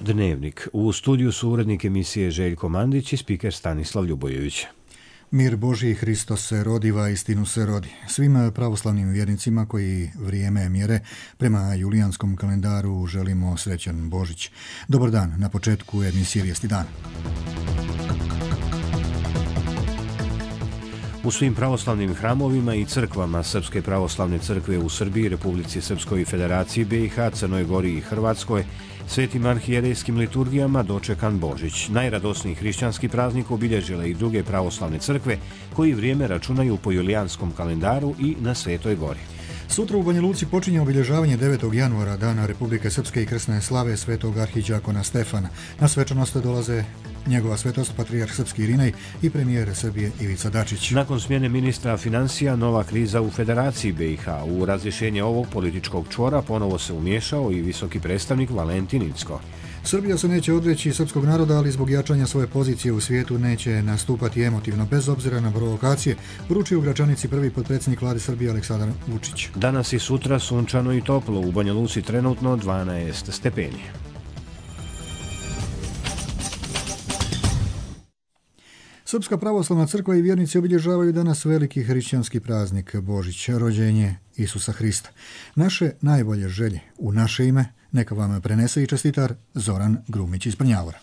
Dnevnik. U studiju su urednik emisije Željko Mandić i spiker Stanislav Ljubojević. Mir Božji, Hristos se rodiva, istinu se rodi. Svim pravoslavnim vjernicima koji vrijeme mjere prema julijanskom kalendaru želimo srećan Božić. Dobar dan, na početku emisije Vijesti dan. U svim pravoslavnim hramovima i crkvama Srpske pravoslavne crkve u Srbiji, Republici Srpskoj i Federaciji BiH, Crnoj Gori i Hrvatskoj svetim arhijerejskim liturgijama dočekan Božić. Najradosniji hrišćanski praznik obilježile i druge pravoslavne crkve koji vrijeme računaju po julijanskom kalendaru i na Svetoj Gori. Sutra u Banja Luci počinje obilježavanje 9. januara, dana Republike Srpske i krsne slave svetog arhidijakona Stefana. Na svečanost dolaze njegova svetost, patrijarh srpski Irinej i premijer Srbije Ivica Dačić. Nakon smjene ministra financija, nova kriza u Federaciji BiH. U razrješenje ovog političkog čvora ponovo se umiješao i visoki predstavnik Valentin Incko. Srbija se neće odreći srpskog naroda, ali zbog jačanja svoje pozicije u svijetu neće nastupati emotivno, bez obzira na provokacije, poručio u Gračanici prvi potpredsjednik Vlade Srbije Aleksandar Vučić. Danas i sutra sunčano i toplo, u Banja Luci trenutno 12 stepeni. Srpska pravoslavna crkva i vjernici obilježavaju danas veliki hrišćanski praznik Božić, rođenje Isusa Hrista. Naše najbolje želje u naše ime neka vam prenese i čestitar Zoran Grumić iz Prnjavora.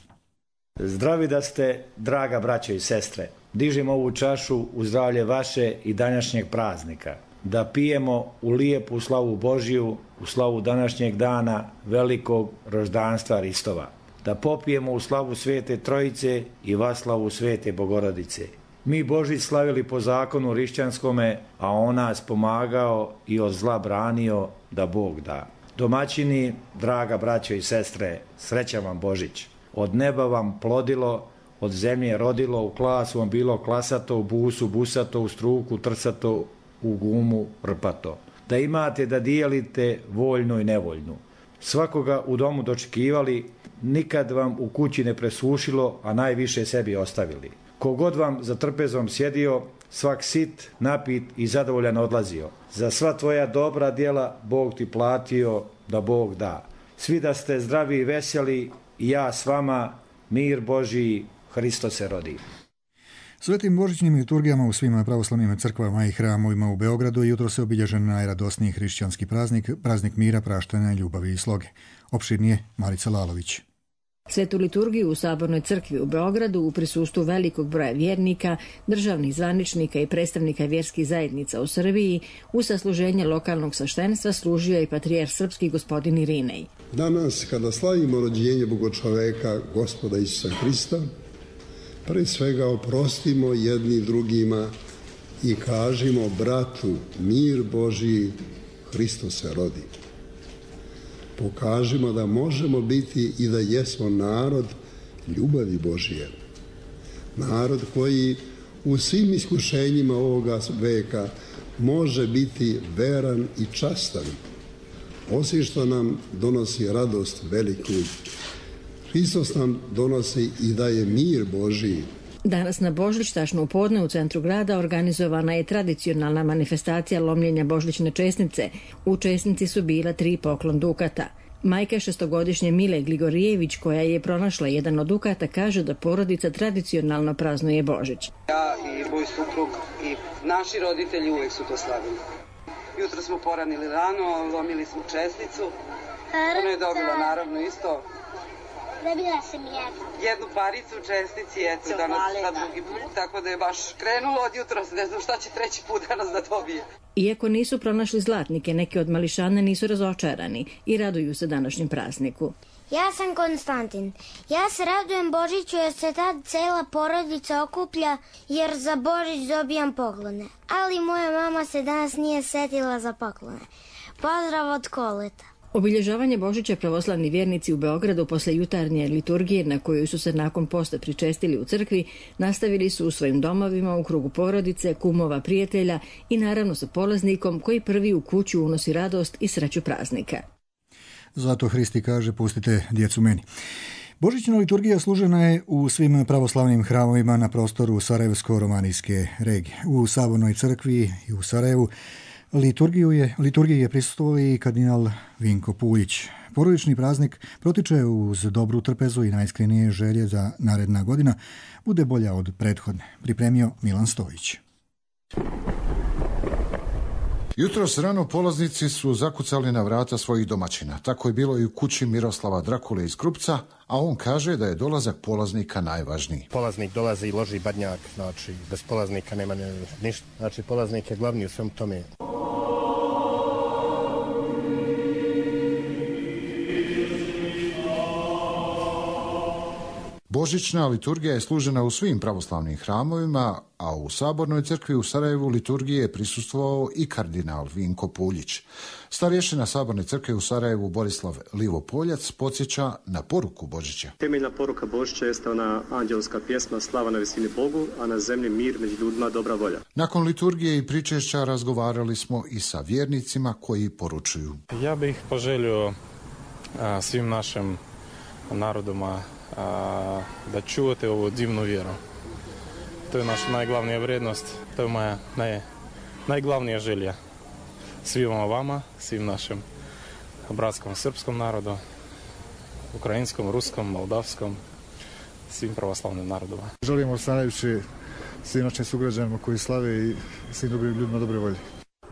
Zdravi da ste, draga braćo i sestre. Dižem ovu čašu u zdravlje vaše i današnjeg praznika. Da pijemo u lijepu slavu Božiju, u slavu današnjeg dana velikog roždanstva Hristova. Da popijemo u slavu Svete Trojice i vaslavu Svete Bogorodice. Mi Božić slavili po zakonu hrišćanskome, a on nas pomagao i od zla branio da Bog da. Domaćini, draga braćo i sestre, srećan vam Božić. Od neba vam plodilo, od zemlje rodilo, u klasu vam bilo klasato, u busu busato, u struku trsato, u gumu rpato. Da imate da dijelite voljno i nevoljnu. Svakoga u domu dočekivali, nikad vam u kući ne presušilo, a najviše sebi ostavili. Kogod vam za trpezom sjedio, svak sit, napit i zadovoljan odlazio. Za sva tvoja dobra djela Bog ti platio, da Bog da. Svi da ste zdravi i veseli, i ja s vama, mir Božiji, Hristos se rodi. Svetim božićnim liturgijama u svim pravoslavnim crkvama i hramovima u Beogradu jutro se obilježen najradosniji hrišćanski praznik mira, praštanja, ljubavi i sloge. Opširnije Marica Lalović. Svetu liturgiju u Sabornoj crkvi u Beogradu u prisustvu velikog broja vjernika, državnih zvaničnika i predstavnika vjerskih zajednica u Srbiji u sasluženje lokalnog sveštenstva služio je patrijarh srpski gospodin Irinej. Danas kada slavimo rođenje Bogočoveka Gospoda Isusa Hrista, pre svega oprostimo jedni drugima i kažimo bratu mir Božiji, Hristos se rodi. Pokažimo da možemo biti i da jesmo narod ljubavi Božije. Narod koji u svim iskušenjima ovoga veka može biti veran i častan. Osim što nam donosi radost veliku, Hristos nam donosi i daje mir Božiji. Danas na Božić, tačno u podne u centru grada, organizovana je tradicionalna manifestacija lomljenja božićne česnice. U česnici su bila 3 poklon dukata. Majka šestogodišnje Mile Gligorijević, koja je pronašla jedan od dukata, kaže da porodica tradicionalno praznuje Božić. Ja i moj suprug i naši roditelji uvek su to slavili. Jutro smo poranili rano, lomili smo česnicu. Ona je dobila naravno isto. Dobila sam jednu paricu u česnici, eto danas na drugi put, tako da je baš krenulo od jutra, ne znam šta će treći put danas da dobije. Iako nisu pronašli zlatnike, neki od mališana nisu razočarani i raduju se današnjem prazniku. Ja sam Konstantin. Ja se radujem Božiću jer se tad cela porodica okuplja jer za Božić dobijam poklone. Ali moja mama se danas nije setila za poklone. Pozdrav od Koleta. Obilježavanje Božića pravoslavni vjernici u Beogradu posle jutarnje liturgije na koju su se nakon posta pričestili u crkvi nastavili su u svojim domovima u krugu porodice, kumova, prijatelja i naravno sa polaznikom koji prvi u kuću unosi radost i sreću praznika. Zato Hristi kaže pustite djecu meni. Božićna liturgija služena je u svim pravoslavnim hramovima na prostoru Sarajevsko-romanijske regije. U Sabornoj crkvi i u Sarajevu Liturgiji je prisustvovao i kardinal Vinko Puljić. Porodični praznik protiče uz dobru trpezu i najiskrenije želje da naredna godina bude bolja od prethodne, pripremio Milan Stojić. Jutros rano polaznici su zakucali na vrata svojih domaćina. Tako je bilo i u kući Miroslava Drakule iz Krupca, a on kaže da je dolazak polaznika najvažniji. Polaznik dolazi i loži badnjak, znači bez polaznika nema ništa. Znači polaznik je glavni u svem tome. Božićna liturgija je služena u svim pravoslavnim hramovima, a u Sabornoj crkvi u Sarajevu liturgiji je prisustvovao i kardinal Vinko Puljić. Starješina Saborne crkve u Sarajevu Borislav Livopoljac podsjeća na poruku Božića. Temeljna poruka Božića jeste ona anđelska pjesma slava na visini Bogu, a na zemlji mir, među ljudima dobra volja. Nakon liturgije i pričešća razgovarali smo i sa vjernicima koji poručuju. Ja bih poželio svim našim narodima da čuvate ovu divnu vjeru. To je naša najglavnija vrijednost, to je moja najglavnija želja. Svima vama, svim našim bratskom srpskom narodu, ukrajinskom, ruskom, moldavskom, svim pravoslavnim narodima. Želimo stanajući svim našim sugrađanima koji slave i svim dobrim ljudima dobre volje.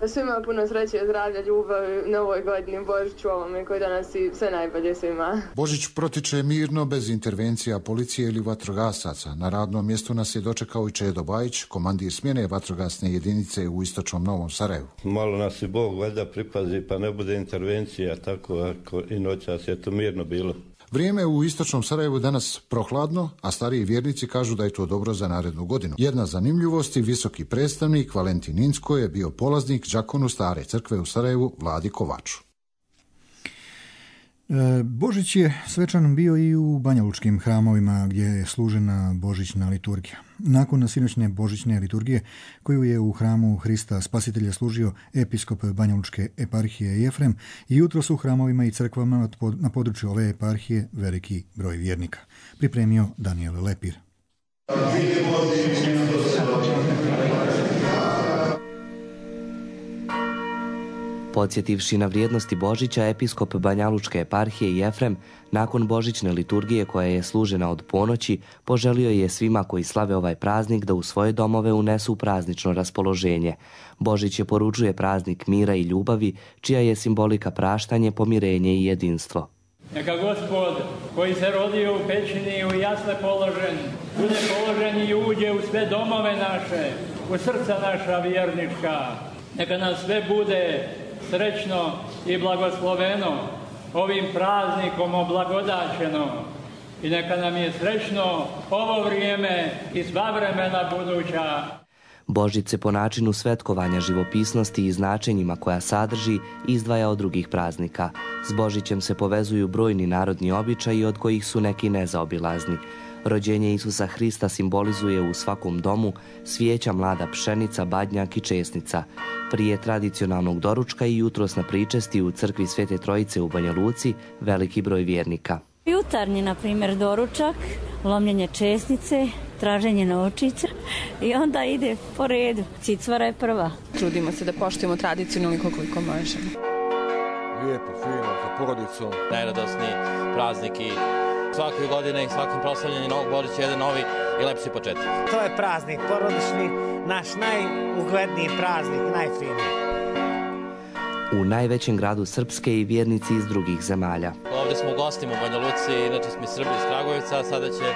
Svima puno sreće, zdravlja, ljubavi na ovoj godini, Božiću ovome koji danas i sve najbolje svima. Božić protiče mirno, bez intervencija policije ili vatrogasaca. Na radnom mjestu nas je dočekao i Čedo Bajić, komandir smjene vatrogasne jedinice u istočnom Novom Sarajevu. Malo nas i Bog valjda pripazi pa ne bude intervencija, tako ako i noćas je to mirno bilo. Vrijeme u istočnom Sarajevu danas prohladno, a stariji vjernici kažu da je to dobro za narednu godinu. Jedna zanimljivost i visoki predstavnik Valentin Insko je bio polaznik đakonu Stare crkve u Sarajevu Vladi Kovaču. Božić je svečan bio i u banjalučkim hramovima gdje je služena božićna liturgija. Nakon sinoćne božićne liturgije koju je u hramu Hrista Spasitelja služio episkop banjalučke eparhije Jefrem, i jutros u hramovima i crkvama na području ove eparhije veliki broj vjernika. Pripremio Daniel Lepir. Podsjetivši na vrijednosti Božića, episkop Banjalučke eparhije Jefrem, nakon božićne liturgije koja je služena od ponoći, poželio je svima koji slave ovaj praznik da u svoje domove unesu praznično raspoloženje. Božić je poručuje praznik mira i ljubavi, čija je simbolika praštanje, pomirenje i jedinstvo. Neka Gospod koji se rodio u pećini i u jasle položen, bude položen i uđe u sve domove naše, u srca naša vjernička. Neka nam sve bude srećno i blagosloveno, ovim praznikom oblagodaćeno, i neka nam je srećno ovo vrijeme i sva vremena buduća. Božić se po načinu svetkovanja živopisnosti i značenjima koja sadrži izdvaja od drugih praznika. S Božićem se povezuju brojni narodni običaji od kojih su neki nezaobilazni. Rođenje Isusa Hrista simbolizuje u svakom domu svijeća, mlada pšenica, badnjak i česnica. Prije tradicionalnog doručka i jutros na pričesti u crkvi Svete Trojice u Banja Luci veliki broj vjernika. Jutarnji, na primjer, doručak, lomljenje česnice, traženje novčića i onda ide po redu. Cicvara je prva. Trudimo se da poštujemo tradicionalno koliko možemo. Lijepo, fino, sa porodicom. Najradosniji praznik i svake godine i svakim proslavljanjem Novog Božića jedan novi i lepši početak. To je praznik porodični, naš najugledniji praznik, najfiniji. U najvećem gradu Srpske i vjernici iz drugih zemalja. Ovdje smo u gostima u Banja Luci, inače smo Srbi iz Kragujevca, a sada će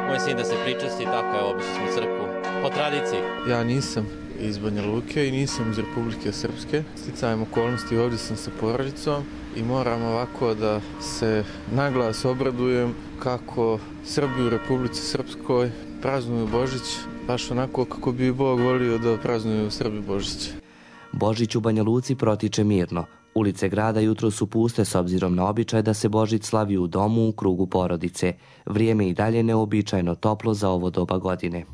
moj sin da se pričasti, tako je, obišli smo crkvu po tradiciji. Ja nisam iz Banja Luke i nisam iz Republike Srpske. Sticajem okolnosti ovdje sam sa porodicom i moram ovako da se naglas obradujem kako Srbi u Republici Srpskoj praznuju Božić, baš onako kako bi Bog volio da praznuju Srbi Božić. Božić u Banja Luci protiče mirno. Ulice grada jutro su puste s obzirom na običaj da se Božić slavi u domu u krugu porodice. Vrijeme i dalje neobičajno toplo za ovo doba godine.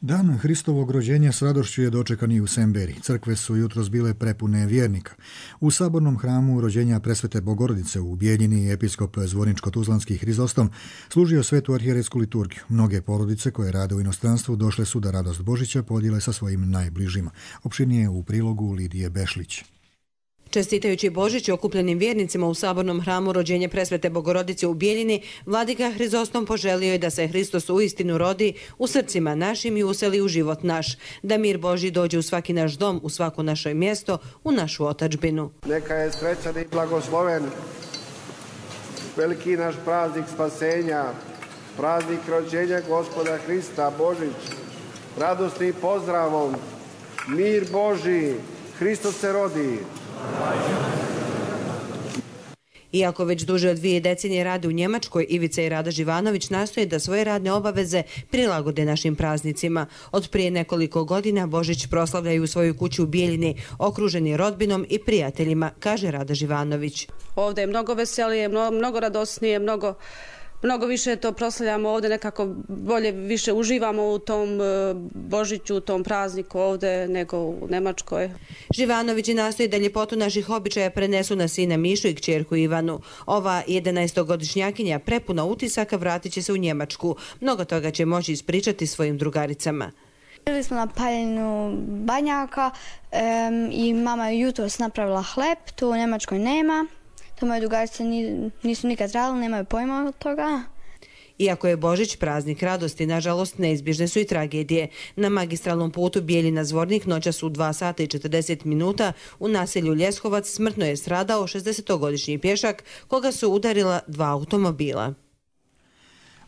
Dan Hristovog rođenja s radošću je dočekan i u Semberi. Crkve su jutros bile prepune vjernika. U sabornom hramu rođenja Presvete Bogorodice u Bijeljini episkop Zvorničko-tuzlanski Hrizostom služio svetu arhijerejsku liturgiju. Mnoge porodice koje rade u inostranstvu došle su da radost Božića podijele sa svojim najbližima. Opširnije u prilogu Lidije Bešlić. Čestitajući Božić okupljenim vjernicima u sabornom hramu rođenja Presvete Bogorodice u Bijeljini, vladika Hrizostom poželio je da se Hristos uistinu rodi u srcima našim i useli u život naš, da mir Božji dođe u svaki naš dom, u svako naše mjesto, u našu otadžbinu. Neka je srećan i blagosloven veliki naš praznik spasenja, praznik rođenja Gospoda Hrista, Božić, radosni pozdravom, mir Božji, Hristos se rodi. Iako već duže od 2 decenije rade u Njemačkoj, Ivica i Rada Živanović nastoje da svoje radne obaveze prilagode našim praznicima. Od prije nekoliko godina Božić proslavljaju u svojoj kući u Bijeljini, okruženi rodbinom i prijateljima, kaže Rada Živanović. Ovdje je mnogo veselije, mnogo radosnije, mnogo više to proslavljamo ovdje, nekako bolje, više uživamo u tom Božiću, u tom prazniku ovdje nego u Njemačkoj. Živanovići nastoji da ljepotu naših običaja prenesu na sina Mišu i kćerku Ivanu. Ova 11-godišnjakinja prepuna utisaka vratit će se u Njemačku. Mnogo toga će moći ispričati svojim drugaricama. Bili smo na paljenju banjaka i mama je jutros napravila hleb, to u Njemačkoj nema. To moje drugarice nisu nikad radili, nemaju pojma od toga. Iako je Božić praznik radosti, nažalost neizbježne su i tragedije. Na magistralnom putu Bijeljina-Zvornik noćas u 2 sata i 40 minuta u naselju Ljeskovac smrtno je stradao 60-godišnji pješak koga su udarila 2 automobila.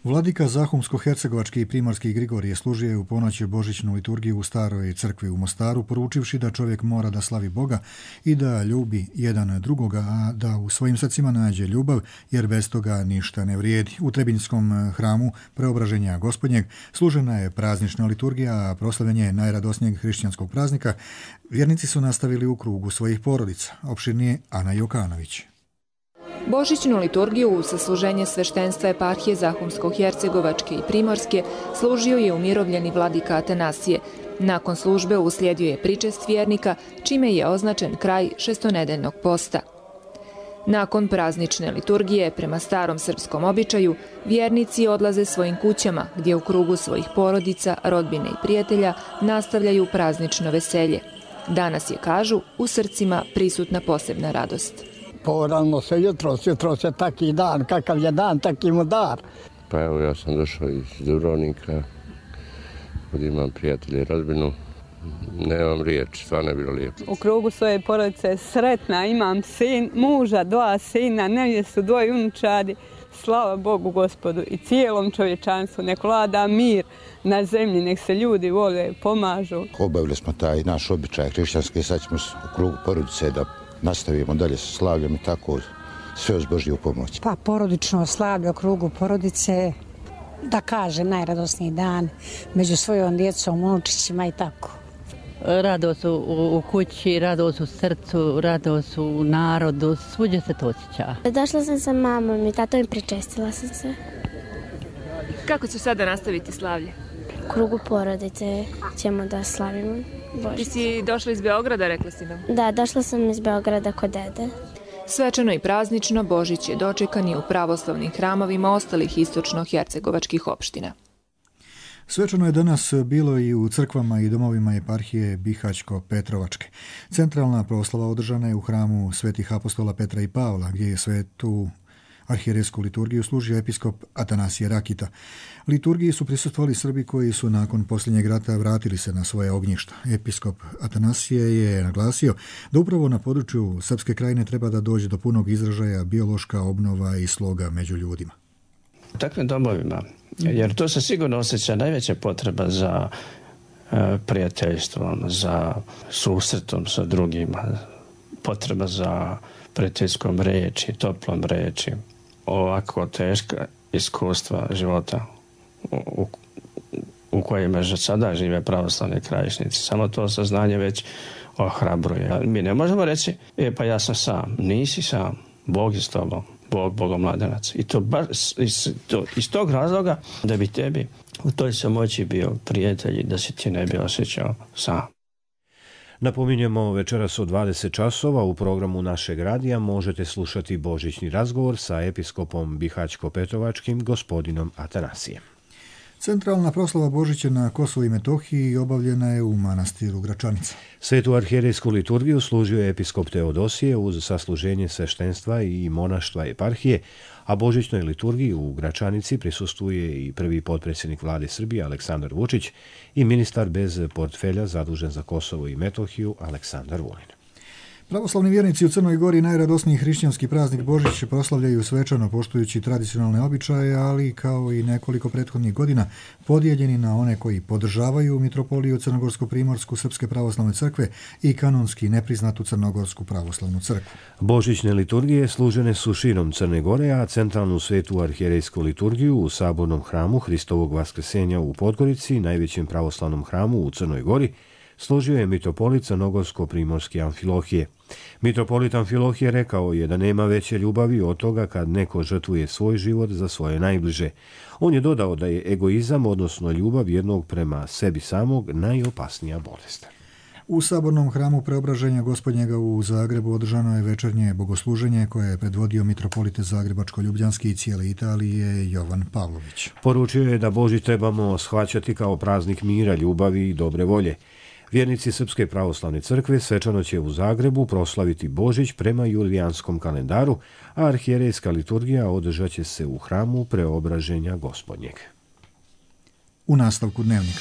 Vladika Zahumsko-hercegovački i primorski Grigorije služio u ponoći božićnu liturgiju u staroj crkvi u Mostaru, poručivši da čovjek mora da slavi Boga i da ljubi jedan drugoga, a da u svojim srcima nađe ljubav, jer bez toga ništa ne vrijedi. U Trebinjskom hramu Preobraženja Gospodnjeg služena je praznična liturgija, a proslavljanje najradosnijeg hrišćanskog praznika vjernici su nastavili u krugu svojih porodica. Opširnije Ana Jokanović. Božićnu liturgiju u sasluženje sveštenstva eparhije Zahumsko-hercegovačke i Primorske služio je umirovljeni vladika Atanasije. Nakon službe uslijedio je pričest vjernika, čime je označen kraj šestonedeljnog posta. Nakon praznične liturgije, prema starom srpskom običaju, vjernici odlaze svojim kućama, gdje u krugu svojih porodica, rodbine i prijatelja nastavljaju praznično veselje. Danas je, kažu, u srcima prisutna posebna radost. Poradimo se jutros je taki dan, kakav je dan, taki mu dar. Pa evo, ja sam došao iz Dubrovnika, ovdje imam prijatelje i rodbinu, nemam riječ, stvarno je bilo lijepo. U krugu svoje porodice sretna, imam muža, 2 sina, nevjestu, 2 unučadi. Slava Bogu Gospodu i cijelom čovječanstvu, nek vlada mir na zemlji, nek se ljudi vole, pomažu. Obavili smo taj naš običaj hrišćanski, sad ćemo u krugu porodice da nastavimo dalje sa slavljem i tako sve uz Božju pomoć. Pa porodično slavlje u krugu porodice, da kažem, najradosniji dan među svojom djecom, unučićima i tako. Radost u kući, radost u srcu, radost u narodu, svuđe se to osjeća. Došla sam sa mamom i tatom i pričestila sam se. Kako će sada nastaviti slavlje? U krugu porodice ćemo da slavimo Božić. Ti si došla iz Beograda, rekla si nam? Da, došla sam iz Beograda kod dede. Svečano i praznično Božić je dočekan i u pravoslavnim hramovima ostalih istočno-hercegovačkih opština. Svečano je danas bilo i u crkvama i domovima eparhije Bihaćko-Petrovačke. Centralna proslava održana je u hramu svetih apostola Petra i Pavla, gdje je svetu arhijerejsku liturgiju služio episkop Atanasije Rakita. Liturgiji su prisustvovali Srbi koji su nakon posljednjeg rata vratili se na svoje ognjišta. Episkop Atanasije je naglasio da upravo na području Srpske krajine treba da dođe do punog izražaja biološka obnova i sloga među ljudima. U takvim domovima, jer to se sigurno osjeća najveća potreba za prijateljstvom, za susretom sa drugima, potreba za prijateljskom reči, toplom reči. Ovako teška iskustva života u kojima sada žive pravoslavni krajišnici. Samo to saznanje već ohrabruje. Mi ne možemo reći, pa ja sam sam. Nisi sam. Bog je s tobom. Bogom mladenaca. I to baš iz tog razloga da bi tebi u toj samoći bio prijatelj i da se ti ne bi osjećao sam. Napominjemo, večeras od 20 časova u programu našeg radija možete slušati božićni razgovor sa episkopom Bihaćko-Petrovačkim gospodinom Atanasijem. Centralna proslava Božića na Kosovu i Metohiji obavljena je u manastiru Gračanica. Svetu arhijerejsku liturgiju služio je episkop Teodosije uz sasluženje sveštenstva i monaštva eparhije, a božićnoj liturgiji u Gračanici prisustvuje i prvi potpredsjednik vlade Srbije Aleksandar Vučić i ministar bez portfelja zadužen za Kosovo i Metohiju Aleksandar Vulin. Pravoslavni vjernici u Crnoj Gori najradosniji hrišćanski praznik Božić proslavljaju svečano poštujući tradicionalne običaje, ali kao i nekoliko prethodnih godina podijeljeni na one koji podržavaju mitropoliju Crnogorsko-primorsku Srpske pravoslavne crkve i kanonski nepriznatu Crnogorsku pravoslavnu crkvu. Božićne liturgije služene su širom Crne Gore, a centralnu svetu arhijerejsku liturgiju u sabornom hramu Hristovog vaskrsenja u Podgorici, najvećem pravoslavnom hramu u Crnoj Gori, složio je mitropolit Crnogorsko-primorske Amfilohije. Mitropolit Amfilohije rekao je da nema veće ljubavi od toga kad neko žrtvuje svoj život za svoje najbliže. On je dodao da je egoizam, odnosno ljubav jednog prema sebi samog, najopasnija bolest. U sabornom hramu Preobraženja Gospodnjega u Zagrebu održano je večernje bogosluženje koje je predvodio mitropolit Zagrebačko-Ljubljanski i cijele Italije Jovan Pavlović. Poručio je da Božić trebamo shvaćati kao praznik mira, ljubavi i dobre volje. Vjernici Srpske pravoslavne crkve svečano će u Zagrebu proslaviti Božić prema julijanskom kalendaru, a arhijerejska liturgija održat će se u hramu Preobraženja Gospodnjeg. U nastavku dnevnika.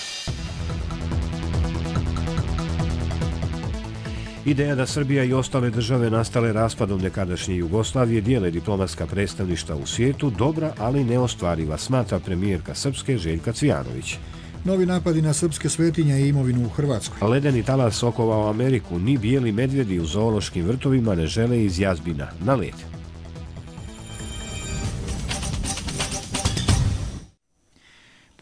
Ideja da Srbija i ostale države nastale raspadom nekadašnje Jugoslavije dijele diplomatska predstavništva u svijetu dobra, ali neostvariva, smatra premijerka Srpske Željka Cvijanović. Novi napadi na srpske svetinje i imovinu u Hrvatskoj. Ledeni talas okovao Ameriku, ni bijeli medvjedi u zoološkim vrtovima ne žele iz jazbina na led.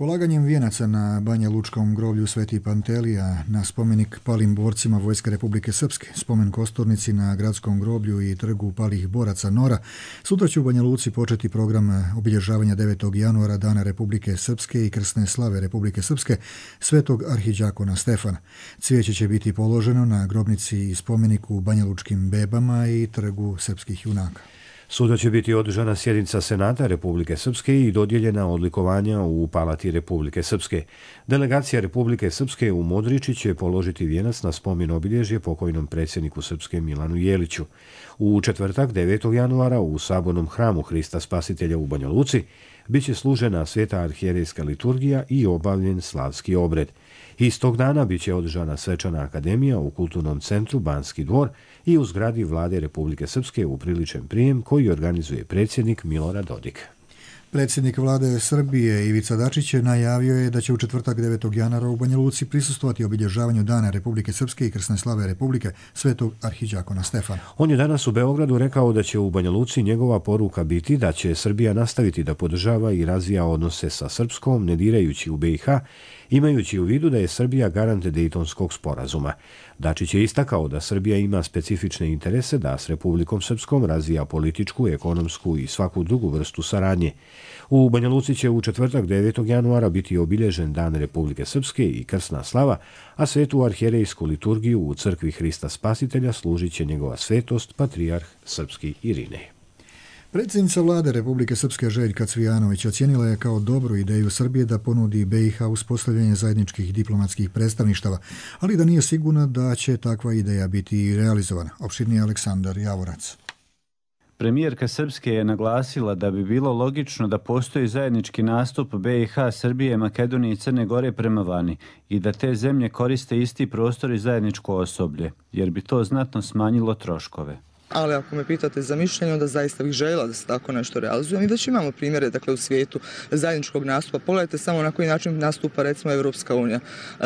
Polaganjem vijenaca na Banja Lučkom groblju Sveti Pantelija, na spomenik palim borcima Vojske Republike Srpske, spomen kosturnici na gradskom groblju i trgu palih boraca Nora, sutra će u Banja Luci početi program obilježavanja 9. januara Dana Republike Srpske i krsne slave Republike Srpske Svetog arhiđakona Stefana. Cvijeće će biti položeno na grobnici i spomeniku Banja Lučkim bebama i trgu srpskih junaka. Sutra će biti održana sjednica Senata Republike Srpske i dodijeljena odlikovanja u Palati Republike Srpske. Delegacija Republike Srpske u Modriči će položiti vijenac na spomen obilježje pokojnom predsjedniku Srpske Milanu Jeliću. U četvrtak 9. januara u sabornom hramu Hrista Spasitelja u Banja Luci biće služena sveta arhijerejska liturgija i obavljen slavski obred. Istog dana biće održana svečana akademija u kulturnom centru Banski dvor i u zgradi Vlade Republike Srpske upriličen prijem koji organizuje predsjednik Milorad Dodik. Predsjednik vlade Srbije Ivica Dačić najavio je da će u četvrtak 9. januara u Banja Luci prisustvovati obilježavanju Dana Republike Srpske i krsne slave Republike Svetog arhiđakona Stefana. On je danas u Beogradu rekao da će u Banja Luci njegova poruka biti da će Srbija nastaviti da podržava i razvija odnose sa Srpskom, ne dirajući u BiH, imajući u vidu da je Srbija garant Dejtonskog sporazuma. Dačić je istakao da Srbija ima specifične interese da s Republikom Srpskom razvija političku, ekonomsku i svaku drugu vrstu saradnje. U Banja Luci će u četvrtak 9. januara biti obilježen Dan Republike Srpske i krsna slava, a svetu arhijerejsku liturgiju u crkvi Hrista Spasitelja služit će njegova svetost, patrijarh srpski Irinej. Predsjednica vlade Republike Srpske Željka Cvijanović ocijenila je kao dobru ideju Srbije da ponudi BiH uspostavljanje zajedničkih diplomatskih predstavništava, ali da nije sigurna da će takva ideja biti realizovana. Opširnije Aleksandar Javorac. Premijerka Srpske je naglasila da bi bilo logično da postoji zajednički nastup BiH, Srbije, Makedonije i Crne Gore prema vani i da te zemlje koriste isti prostor i zajedničko osoblje, jer bi to znatno smanjilo troškove. Ali ako me pitate za mišljenje, onda zaista bih željela da se tako nešto realizuje. Mi već imamo primjere u svijetu zajedničkog nastupa. Pogledajte samo na koji način nastupa recimo Evropska unija.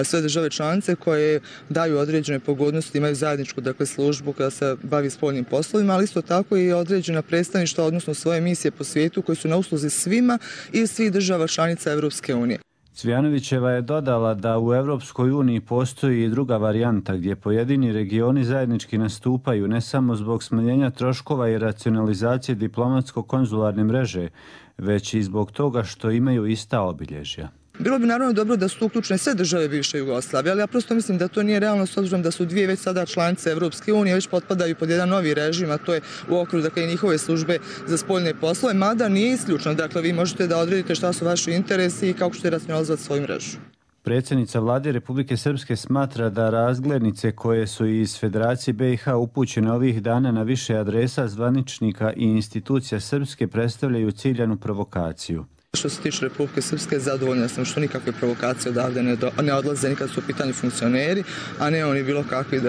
Sve države članice koje daju određene pogodnosti, imaju zajedničku službu koja se bavi spoljnim poslovima, ali isto tako i određena predstavništva, odnosno svoje misije po svijetu koje su na usluzi svima i svih država članica Evropske unije. Cvijanovićeva je dodala da u Europskoj uniji postoji i druga varijanta gdje pojedini regioni zajednički nastupaju ne samo zbog smanjenja troškova i racionalizacije diplomatsko-konzularne mreže, već i zbog toga što imaju ista obilježja. Bilo bi naravno dobro da su uključene sve države bivše Jugoslavije, ali ja prosto mislim da to nije realno s obzirom da su dvije već sada članice Evropske unije, već potpadaju pod jedan novi režim, a to je u okviru dakle, njihove službe za spoljne poslove, mada nije isključno. Dakle, vi možete da odredite šta su vaši interesi i kako ćete racionalizovati svoju mrežu. Predsjednica Vlade Republike Srpske smatra da razglednice koje su iz Federacije BiH upućene ovih dana na više adresa zvaničnika i institucija Srpske predstavljaju ciljanu provokaciju. Što se tiče Republike Srpske, zadovoljna sam što nikakve provokacije odavde ne odlaze nikad su u pitanju funkcioneri, a ne oni bilo kakvih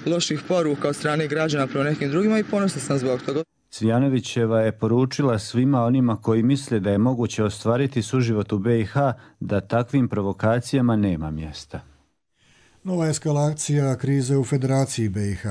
loših poruka od strane građana prema nekim drugima i ponosna sam zbog toga. Cvijanovićeva je poručila svima onima koji misle da je moguće ostvariti suživot u BiH da takvim provokacijama nema mjesta. Nova eskalacija krize u Federaciji BiH.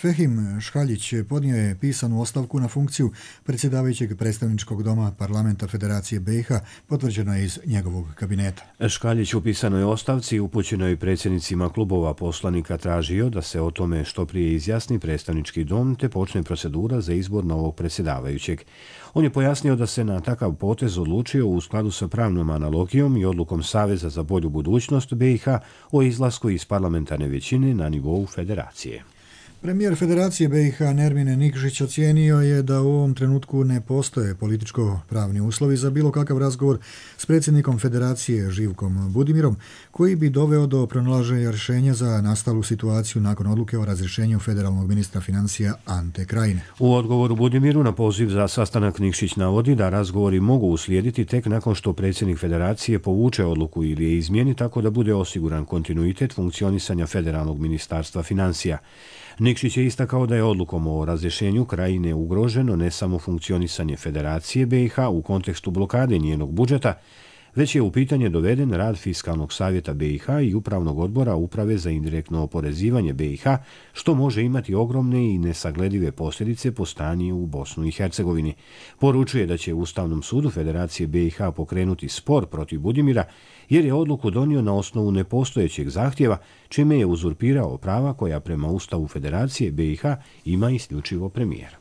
Fehim Šhaljić podnio je pisanu ostavku na funkciju predsjedavajućeg predstavničkog doma Parlamenta Federacije BiH, potvrđeno je iz njegovog kabineta. Škaljić u pisanoj ostavci upućenoj predsjednicima klubova poslanika tražio da se o tome što prije izjasni predstavnički dom te počne procedura za izbor novog predsjedavajućeg. On je pojasnio da se na takav potez odlučio u skladu sa pravnom analogijom i odlukom Saveza za bolju budućnost BiH o izlasku iz parlamentarne većine na nivou federacije. Premijer Federacije BiH Nermin Nikšić ocijenio je da u ovom trenutku ne postoje političko-pravni uslovi za bilo kakav razgovor s predsjednikom Federacije Živkom Budimirom, koji bi doveo do pronalaženja rješenja za nastalu situaciju nakon odluke o razrješenju federalnog ministra financija Ante Krajine. U odgovoru Budimiru na poziv za sastanak Nikšić navodi da razgovori mogu uslijediti tek nakon što predsjednik Federacije povuče odluku ili je izmijeni tako da bude osiguran kontinuitet funkcionisanja federalnog ministarstva financija. Nikšić je istakao da je odlukom o razrješenju Krajine ugroženo ne samo funkcionisanje Federacije BiH u kontekstu blokade njenog budžeta, već je u pitanje doveden rad Fiskalnog savjeta BiH i Upravnog odbora Uprave za indirektno oporezivanje BiH, što može imati ogromne i nesagledive posljedice po stanje u Bosnu i Hercegovini. Poručuje da će Ustavnom sudu Federacije BiH pokrenuti spor protiv Budimira, jer je odluku donio na osnovu nepostojećeg zahtjeva, čime je uzurpirao prava koja prema Ustavu Federacije BiH ima isključivo premijer.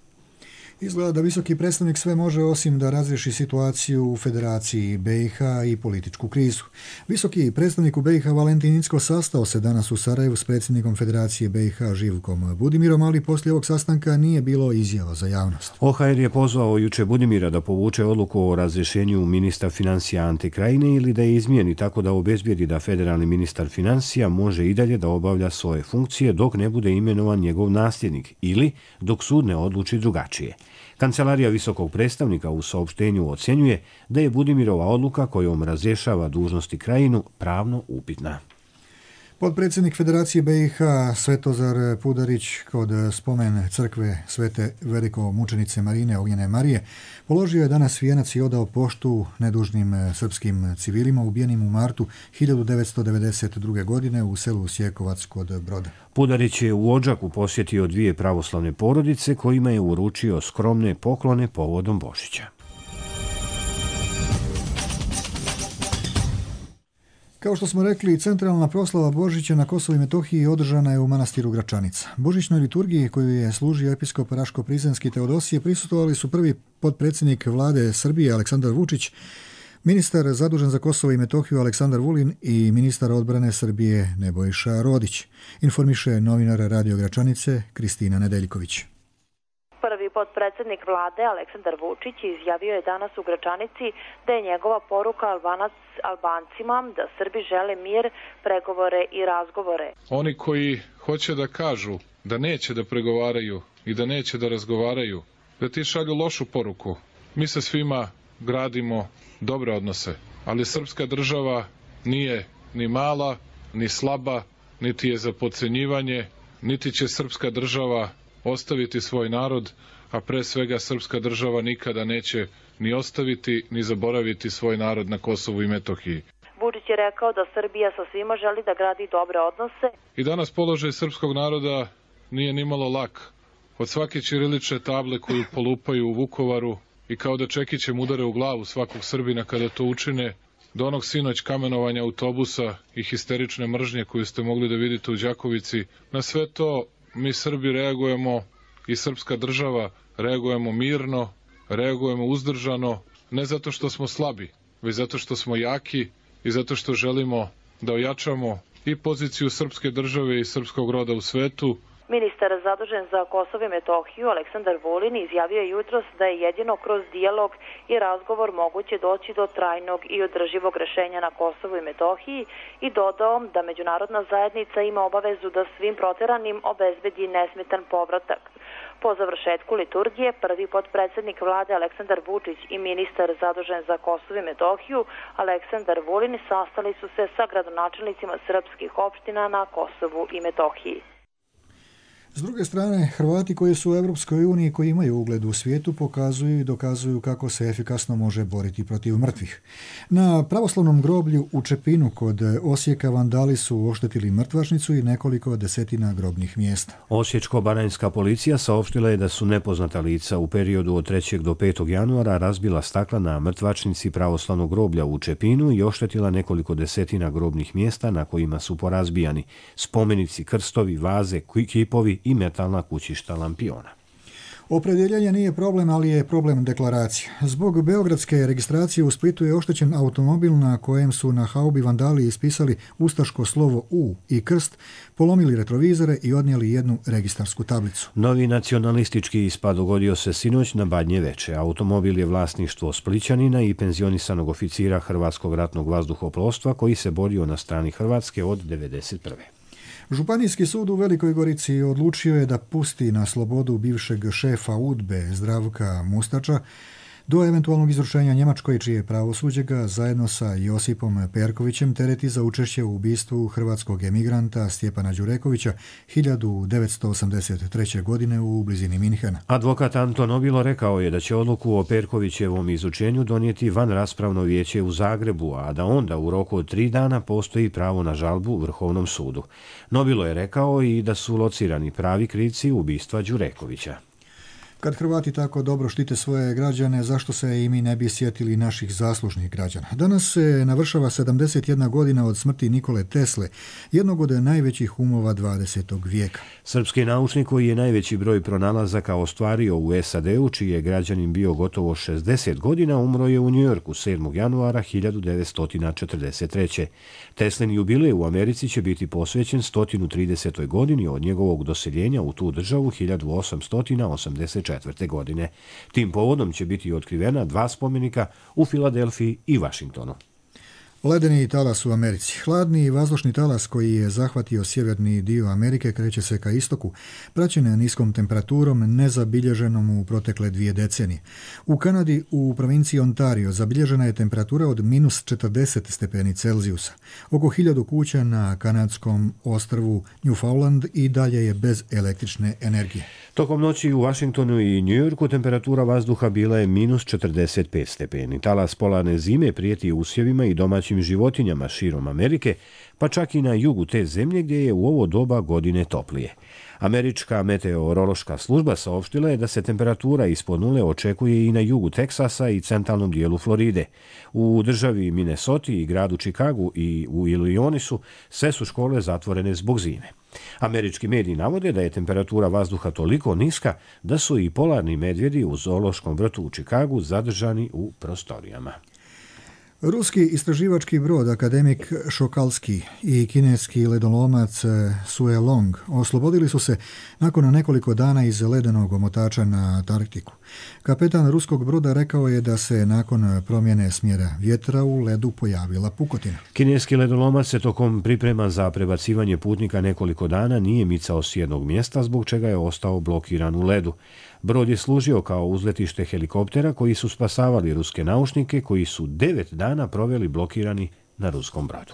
Izgleda da visoki predstavnik sve može osim da razriješi situaciju u Federaciji BiH i političku krizu. Visoki predstavnik u BiH Valentin Incko sastao se danas u Sarajevu s predsjednikom Federacije BiH Živkom Budimirom, ali poslije ovog sastanka nije bilo izjava za javnost. OHR je pozvao juče Budimira da povuče odluku o razrješenju ministra financija Ante Krajine ili da je izmijeni tako da obezbijedi da federalni ministar financija može i dalje da obavlja svoje funkcije dok ne bude imenovan njegov nasljednik ili dok sud ne odluči drugačije. Kancelarija visokog predstavnika u saopštenju ocjenjuje da je Budimirova odluka kojom razrješava dužnosti Krajinu pravno upitna. Potpredsjednik Federacije BiH Svetozar Pudarić kod spomen crkve Svete velikomučenice Marine Ognjene Marije položio je danas vijenac i odao poštu nedužnim srpskim civilima ubijenim u martu 1992. godine u selu Sjekovac kod Broda. Pudarić je u Odžaku posjetio dvije pravoslavne porodice kojima je uručio skromne poklone povodom Božića. Kao što smo rekli, centralna proslava Božića na Kosovu i Metohiji održana je u manastiru Gračanica. Božićnoj liturgiji koju je služio episkop Raško-Prizrenski Teodosije prisustvovali su prvi potpredsjednik vlade Srbije Aleksandar Vučić, ministar zadužen za Kosovo i Metohiju Aleksandar Vulin i ministar odbrane Srbije Nebojša Rodić, informiše novinar Radio Gračanice Kristina Nedeljković. Prvi potpredsjednik vlade Aleksandar Vučić izjavio je danas u Gračanici da je njegova poruka Albancima da Srbi žele mir, pregovore i razgovore. Oni koji hoće da kažu da neće da pregovaraju i da neće da razgovaraju, da ti šalju lošu poruku. Mi sa svima gradimo dobre odnose, ali srpska država nije ni mala, ni slaba, niti je za podcenjivanje, niti će srpska država ostaviti svoj narod, a pre svega srpska država nikada neće ni ostaviti ni zaboraviti svoj narod na Kosovu i Metohiji. Vučić je rekao da Srbija sa svima želi da gradi dobre odnose. I danas položaj srpskog naroda nije nimalo lak. Od svake ćirilične table koju polupaju u Vukovaru i kao da čekićem udare u glavu svakog Srbina kada to učine, do onog sinoć kamenovanja autobusa i histerične mržnje koju ste mogli da vidite u Đakovici. Na sve to mi Srbi reagujemo i srpska država reagujemo mirno, reagujemo uzdržano, ne zato što smo slabi, već zato što smo jaki i zato što želimo da ojačamo i poziciju srpske države i srpskog roda u svetu. Ministar zadužen za Kosovo i Metohiju Aleksandar Vulin izjavio je jutros da je jedino kroz dijalog i razgovor moguće doći do trajnog i održivog rešenja na Kosovu i Metohiji i dodao da međunarodna zajednica ima obavezu da svim proteranim obezbedi nesmetan povratak. Po završetku liturgije, prvi potpredsednik vlade Aleksandar Vučić i ministar zadužen za Kosovo i Metohiju Aleksandar Vulin sastali su se sa gradonačelnicima srpskih opština na Kosovu i Metohiji. S druge strane, Hrvati koji su u Europskoj uniji, koji imaju ugled u svijetu, pokazuju i dokazuju kako se efikasno može boriti protiv mrtvih. Na pravoslavnom groblju u Čepinu kod Osijeka vandali su oštetili mrtvačnicu i nekoliko desetina grobnih mjesta. Osječko-baranjska policija saopštila je da su nepoznata lica u periodu od 3. do 5. januara razbila stakla na mrtvačnici pravoslavnog groblja u Čepinu i oštetila nekoliko desetina grobnih mjesta na kojima su porazbijani spomenici, krstovi, vaze, kipovi i metalna kućišta lampiona. Opredjeljenje nije problem, ali je problem deklaracija. Zbog beogradske registracije u Splitu je oštećen automobil na kojem su na haubi vandali ispisali ustaško slovo U i krst, polomili retrovizore i odnijeli jednu registarsku tablicu. Novi nacionalistički ispad dogodio se sinoć na Badnje Veče. Automobil je vlasništvo Splićanina i penzionisanog oficira Hrvatskog ratnog vazduhoplovstva koji se borio na strani Hrvatske od 1991. Županijski sud u Velikoj Gorici odlučio je da pusti na slobodu bivšeg šefa UDBE Zdravka Mustača do eventualnog izručenja Njemačkoj, čije pravosuđe ga zajedno sa Josipom Perkovićem tereti za učešće u ubistvu hrvatskog emigranta Stjepana Đurekovića 1983. godine u blizini Minhena. Advokat Anton Obilo rekao je da će odluku o Perkovićevom izučenju donijeti van raspravno vijeće u Zagrebu, a da onda u roku od 3 dana postoji pravo na žalbu Vrhovnom sudu. Nobilo je rekao i da su locirani pravi krivci ubistva Đurekovića. Kad Hrvati tako dobro štite svoje građane, zašto se i mi ne bi sjetili naših zaslužnih građana? Danas se navršava 71 godina od smrti Nikole Tesle, jednog od najvećih umova 20. vijeka. Srpski naučnik koji je najveći broj pronalazaka ostvario u SAD-u, čiji je građanin bio gotovo 60 godina, umro je u Njujorku 7. januara 1943. Teslin jubilej u Americi će biti posvećen 130. godini od njegovog doseljenja u tu državu 1884. godine. Tim povodom će biti otkrivena 2 spomenika u Filadelfiji i Vašingtonu. Ledeni talas u Americi. Hladni vazdušni talas koji je zahvatio sjeverni dio Amerike kreće se ka istoku, praćen niskom temperaturom nezabilježenom u protekle 2 decenije. U Kanadi, u provinciji Ontario, zabilježena je temperatura od -40 stepeni Celzijusa. Oko 1000 kuća na kanadskom ostrvu Newfoundland i dalje je bez električne energije. Tokom noći u Vašingtonu i Njujorku temperatura vazduha bila je -45 stepeni. Talas polarne zime prijeti usjevima i domaćim životinjama širom Amerike, pa čak i na jugu te zemlje gdje je u ovo doba godine toplije. Američka meteorološka služba saopštila je da se temperatura ispod nule očekuje i na jugu Teksasa i centralnom dijelu Floride. U državi Minnesota i gradu Chicagu i u Illinoisu sve su škole zatvorene zbog zime. Američki mediji navode da je temperatura vazduha toliko niska da su i polarni medvjedi u zoološkom vrtu u Chicagu zadržani u prostorijama. Ruski istraživački brod akademik Šokalski i kineski ledolomac Sue Long oslobodili su se nakon nekoliko dana iz ledenog omotača na Antarktiku. Kapetan ruskog broda rekao je da se nakon promjene smjera vjetra u ledu pojavila pukotina. Kineski ledolomac se tokom priprema za prebacivanje putnika nekoliko dana nije micao s jednog mjesta, zbog čega je ostao blokiran u ledu. Brod je služio kao uzletište helikoptera koji su spasavali ruske naučnike koji su 9 dana proveli blokirani na ruskom brodu.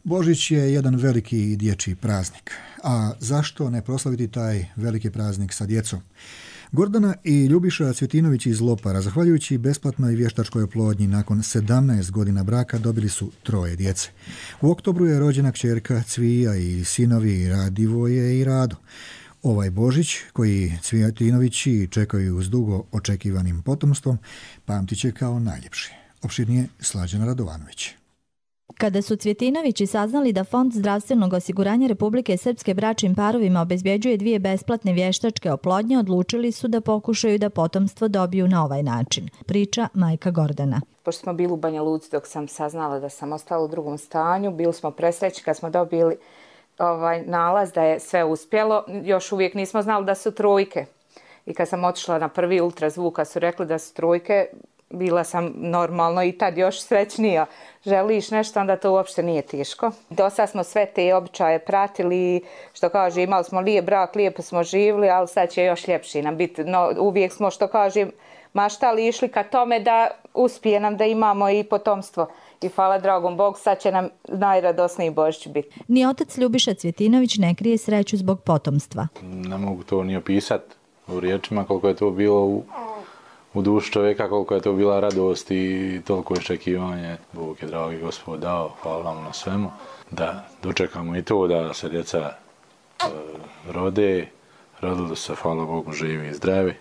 Božić je jedan veliki dječji praznik. A zašto ne proslaviti taj veliki praznik sa djecom? Gordana i Ljubiša Cvjetinović iz Lopara, zahvaljujući besplatnoj vještačkoj oplodnji, nakon 17 godina braka dobili su 3 djece. U oktobru je rođena kćerka Cvija i sinovi Radivoje i Rado. Ovaj Božić, koji Cvjetinovići čekaju s dugo očekivanim potomstvom, pamtit će kao najljepši. Opširnije Slađana Radovanović. Kada su Cvjetinovići saznali da Fond zdravstvenog osiguranja Republike Srpske bračnim parovima obezbjeđuje 2 besplatne vještačke oplodnje, odlučili su da pokušaju da potomstvo dobiju na ovaj način. Priča majka Gordana. Pošto smo bili u Banja Luci dok sam saznala da sam ostala u drugom stanju, bili smo presrećni kad smo dobili nalaz da je sve uspjelo. Još uvijek nismo znali da su trojke. I kad sam otišla na prvi ultrazvuk, kad su rekli da su trojke, bila sam normalno i tad još srećnija. Želiš nešto, onda to uopšte nije teško. Do sad smo sve te običaje pratili, što kaže, imali smo lijep brak, lijepo smo živjeli, ali sad će još ljepši nam biti. No, uvijek smo, što kažem, maštali, išli ka tome da uspije nam da imamo i potomstvo. I hvala dragom Bogu, sad će nam najradosniji Božić biti. Ni otac Ljubiša Cvjetinović ne krije sreću zbog potomstva. Ne mogu to ni opisati u riječima koliko je to bilo u duši čovjeka, koliko je to bila radost i toliko iščekivanje. Bog je, dragi Gospod, dao, hvala vam na svemu, da dočekamo i to da se djeca rodili se, hvala Bogu, živi i zdravi.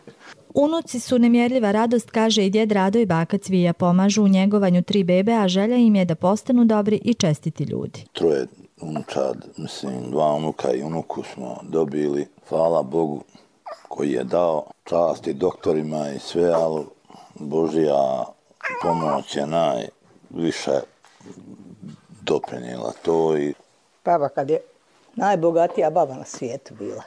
Unuci su nemjerljiva radost, kaže i djed Rado i baka Cvija. Pomažu u njegovanju 3 bebe, a želja im je da postanu dobri i čestiti ljudi. 3 unučad, 2 unuka i unuku smo dobili, hvala Bogu koji je dao, časti doktorima i sve, ali Božja pomoć je najviše doprinijela to. Baba kad je najbogatija baba na svijetu bila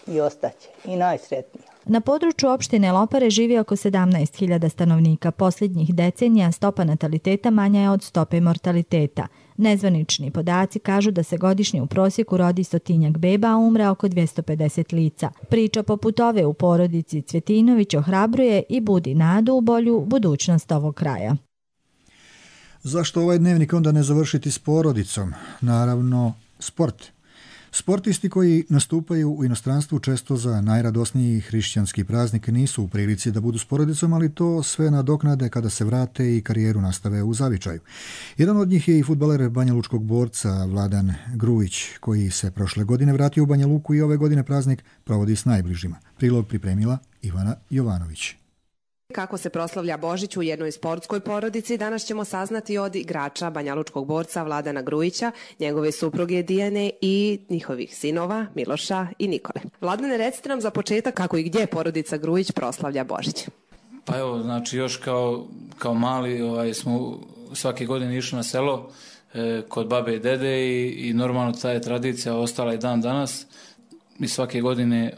i ostaće i najsretnija. Na području opštine Lopare živi oko 17.000 stanovnika. Posljednjih decenija stopa nataliteta manja je od stope mortaliteta. Nezvanični podaci kažu da se godišnje u prosjeku rodi 100-tinjak beba, a umre oko 250 lica. Priča poput ove u porodici Cvjetinović ohrabruje i budi nadu u bolju budućnost ovog kraja. Zašto ovaj dnevnik onda ne završiti s porodicom? Naravno, sport. Sportisti koji nastupaju u inostranstvu često za najradosniji hrišćanski praznik nisu u prilici da budu s porodicom, ali to sve nadoknade kada se vrate i karijeru nastave u zavičaju. Jedan od njih je i fudbaler Banja Lučkog borca Vladan Grujić, koji se prošle godine vratio u Banja Luku i ove godine praznik provodi s najbližima. Prilog pripremila Ivana Jovanović. Kako se proslavlja Božić u jednoj sportskoj porodici, danas ćemo saznati od igrača Banjalučkog borca Vladana Grujića, njegove supruge Dijane i njihovih sinova Miloša i Nikole. Vladane, recite nam za početak kako i gdje porodica Grujić proslavlja Božić. Pa evo, znači još kao mali smo svake godine išli na selo kod babe i dede i normalno ta je tradicija ostala i dan danas. Mi svake godine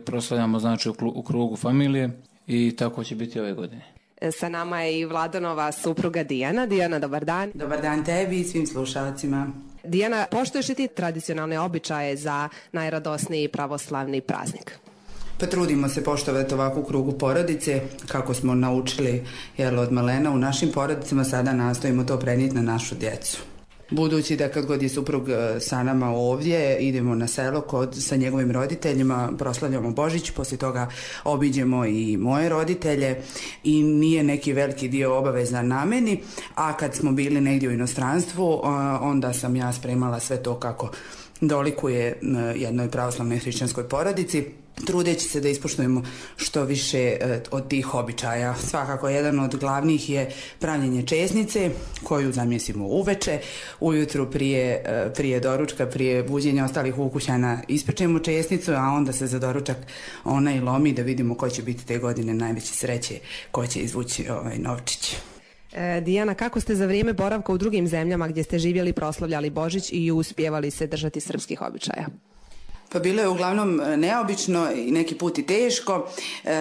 proslavljamo znači u krugu familije. I tako će biti ove godine. Sa nama je i Vladanova supruga Dijana. Dijana, dobar dan. Dobar dan tebi i svim slušalcima. Dijana, poštuješ li ti tradicionalne običaje za najradosniji pravoslavni praznik? Pa trudimo se poštovati ovakvu krugu porodice, kako smo naučili od malena u našim porodicama, sada nastojimo to prenijeti na našu djecu. Budući da kad god je suprug sa nama ovdje, idemo na selo sa njegovim roditeljima, proslavljamo Božić, poslije toga obiđemo i moje roditelje i nije neki veliki dio obavezan na meni, a kad smo bili negdje u inostranstvu, onda sam ja spremala sve to kako dolikuje jednoj pravoslavnoj hrišćanskoj porodici, trudeći se da ispoštujemo što više od tih običaja. Svakako jedan od glavnih je pravljenje česnice koju zamjesimo uveče. Ujutru prije doručka, prije buđenja ostalih ukućana ispečemo česnicu, a onda se za doručak ona i lomi da vidimo ko će biti te godine najveće sreće, ko će izvući novčić. Dijana, kako ste za vrijeme boravka u drugim zemljama gdje ste živjeli proslavljali Božić i uspjevali se držati srpskih običaja? Pa bilo je uglavnom neobično i neki put i teško,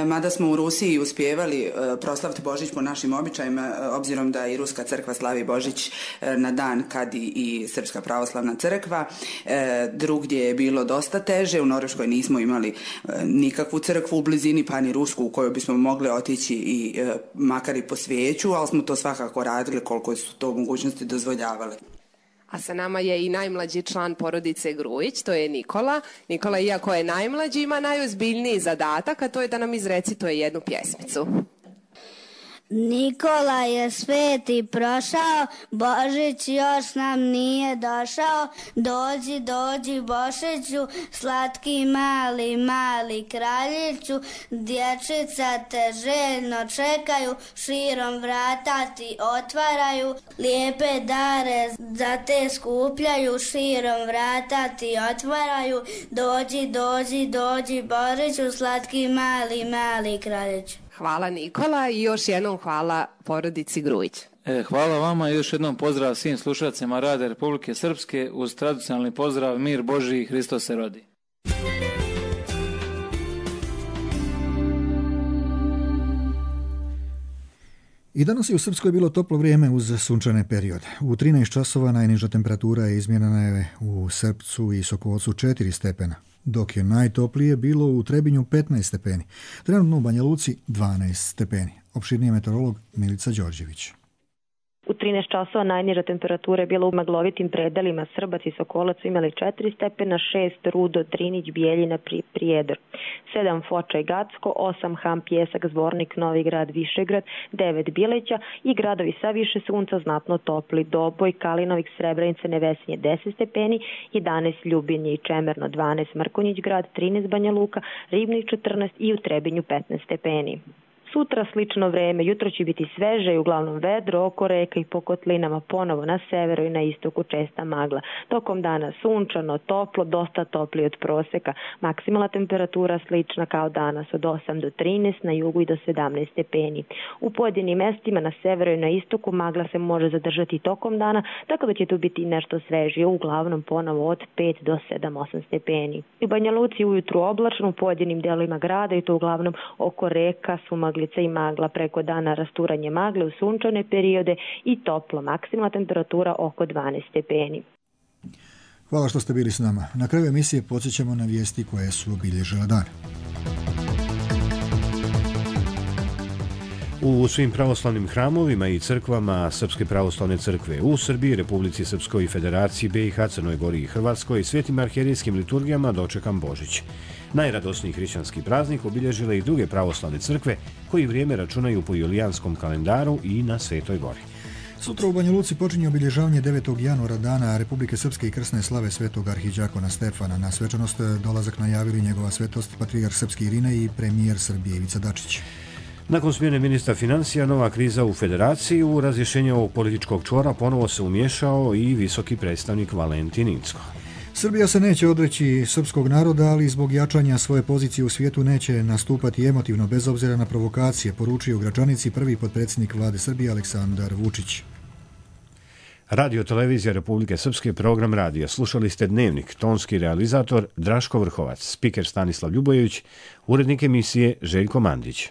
mada smo u Rusiji uspjevali proslaviti Božić po našim običajima, obzirom da i Ruska crkva slavi Božić na dan kad i Srpska pravoslavna crkva. Drugdje je bilo dosta teže, u Norveškoj nismo imali nikakvu crkvu u blizini, pa ni Rusku u kojoj bismo mogli otići i makar i po svijeću, ali smo to svakako radili koliko su to mogućnosti dozvoljavale. A sa nama je i najmlađi član porodice Grujić, to je Nikola. Nikola, iako je najmlađi, ima najozbiljniji zadatak, a to je da nam izrecituje jednu pjesmicu. Nikola je sveti prošao, Božić još nam nije došao. Dođi, dođi Božiću, slatki mali kraljiću. Dječica te željno čekaju, širom vrata ti otvaraju. Lijepe dare za te skupljaju, širom vrata ti otvaraju. Dođi, dođi, dođi Božiću, slatki mali kraljiću. Hvala Nikola i još jednom hvala porodici Grujić. Hvala vama i još jednom pozdrav svim slušateljima Radija Republike Srpske uz tradicionalni pozdrav Mir Božji i Hristos se rodi. I danas je u Srpskoj bilo toplo vrijeme uz sunčane periode. U 13 časova najniža temperatura je izmjerena je u Srpcu i Sokolcu 4 stepena, dok je najtoplije bilo u Trebinju 15 stepeni. Trenutno u Banja Luci 12 stepeni. Opširniji meteorolog Milica Đorđević. U 13 časova najniža temperatura je bila u maglovitim predelima. Srbac i Sokolac su imali 4 stepena, 6 Rudo, Drinić, Bijeljina, Prijedor, 7 Foča i Gacko, 8 Ham, Pjesak, Zvornik, Novi Grad, Višegrad, 9 Bileća i gradovi sa više sunca znatno topli. Doboj, Kalinovik, Srebrenica, Nevesinje 10 stepeni, 11 Ljubinje i Čemerno, 12 Mrkonjić grad, 13 Banja Luka, Ribnik 14 i u Trebinju 15 stepeni. Sutra slično vreme, jutro će biti sveže i uglavnom vedro, oko reka i po kotlinama ponovo na severu i na istoku česta magla. Tokom dana sunčano, toplo, dosta toplije od proseka. Maksimalna temperatura slična kao danas od 8 do 13, na jugu i do 17 stepeni. U pojedinim mestima na severu i na istoku magla se može zadržati tokom dana, tako da će tu biti nešto svežije, uglavnom ponovo od 5 do 7-8 stepeni. U Banja Luci ujutru oblačno, u pojedinim delovima grada i to uglavnom oko reka su magli i magla, preko dana rasturanje magle u sunčane periode i toplo, maksimalna temperatura oko 12 stepeni. Hvala što ste bili s nama. Na kraju emisije podsjećamo na vijesti koje su obilježile dan. U svim pravoslavnim hramovima i crkvama Srpske pravoslavne crkve u Srbiji, Republici Srpskoj i Federaciji BiH, Crnoj Gori i Hrvatskoj i svetim arhijerijskim liturgijama dočekan Božić. Najradosniji hrišćanski praznik obilježile i druge pravoslavne crkve koji vrijeme računaju po julijanskom kalendaru i na Svetoj Gori. Sutra u Banja Luci počinje obilježavanje 9. januara dana Republike Srpske i krsne slave svetog arhidjakona Stefana. Na svečanost dolazak najavili njegova svetost patrijarh srpski Irine i premijer Srbije Ivica Dačić. Nakon smjene ministra financija, nova kriza u Federaciji, u razrješenje ovog političkog čvora ponovo se umješao i visoki predstavnik Valentin Incko. Srbija se neće odreći srpskog naroda, ali zbog jačanja svoje pozicije u svijetu neće nastupati emotivno bez obzira na provokacije, poručio Gračanici prvi potpredsjednik vlade Srbije Aleksandar Vučić. Radio Televizija Republike Srpske, program radija. Slušali ste Dnevnik, tonski realizator Draško Vrhovac, spiker Stanislav Ljubojević, urednik emisije Željko Mandić.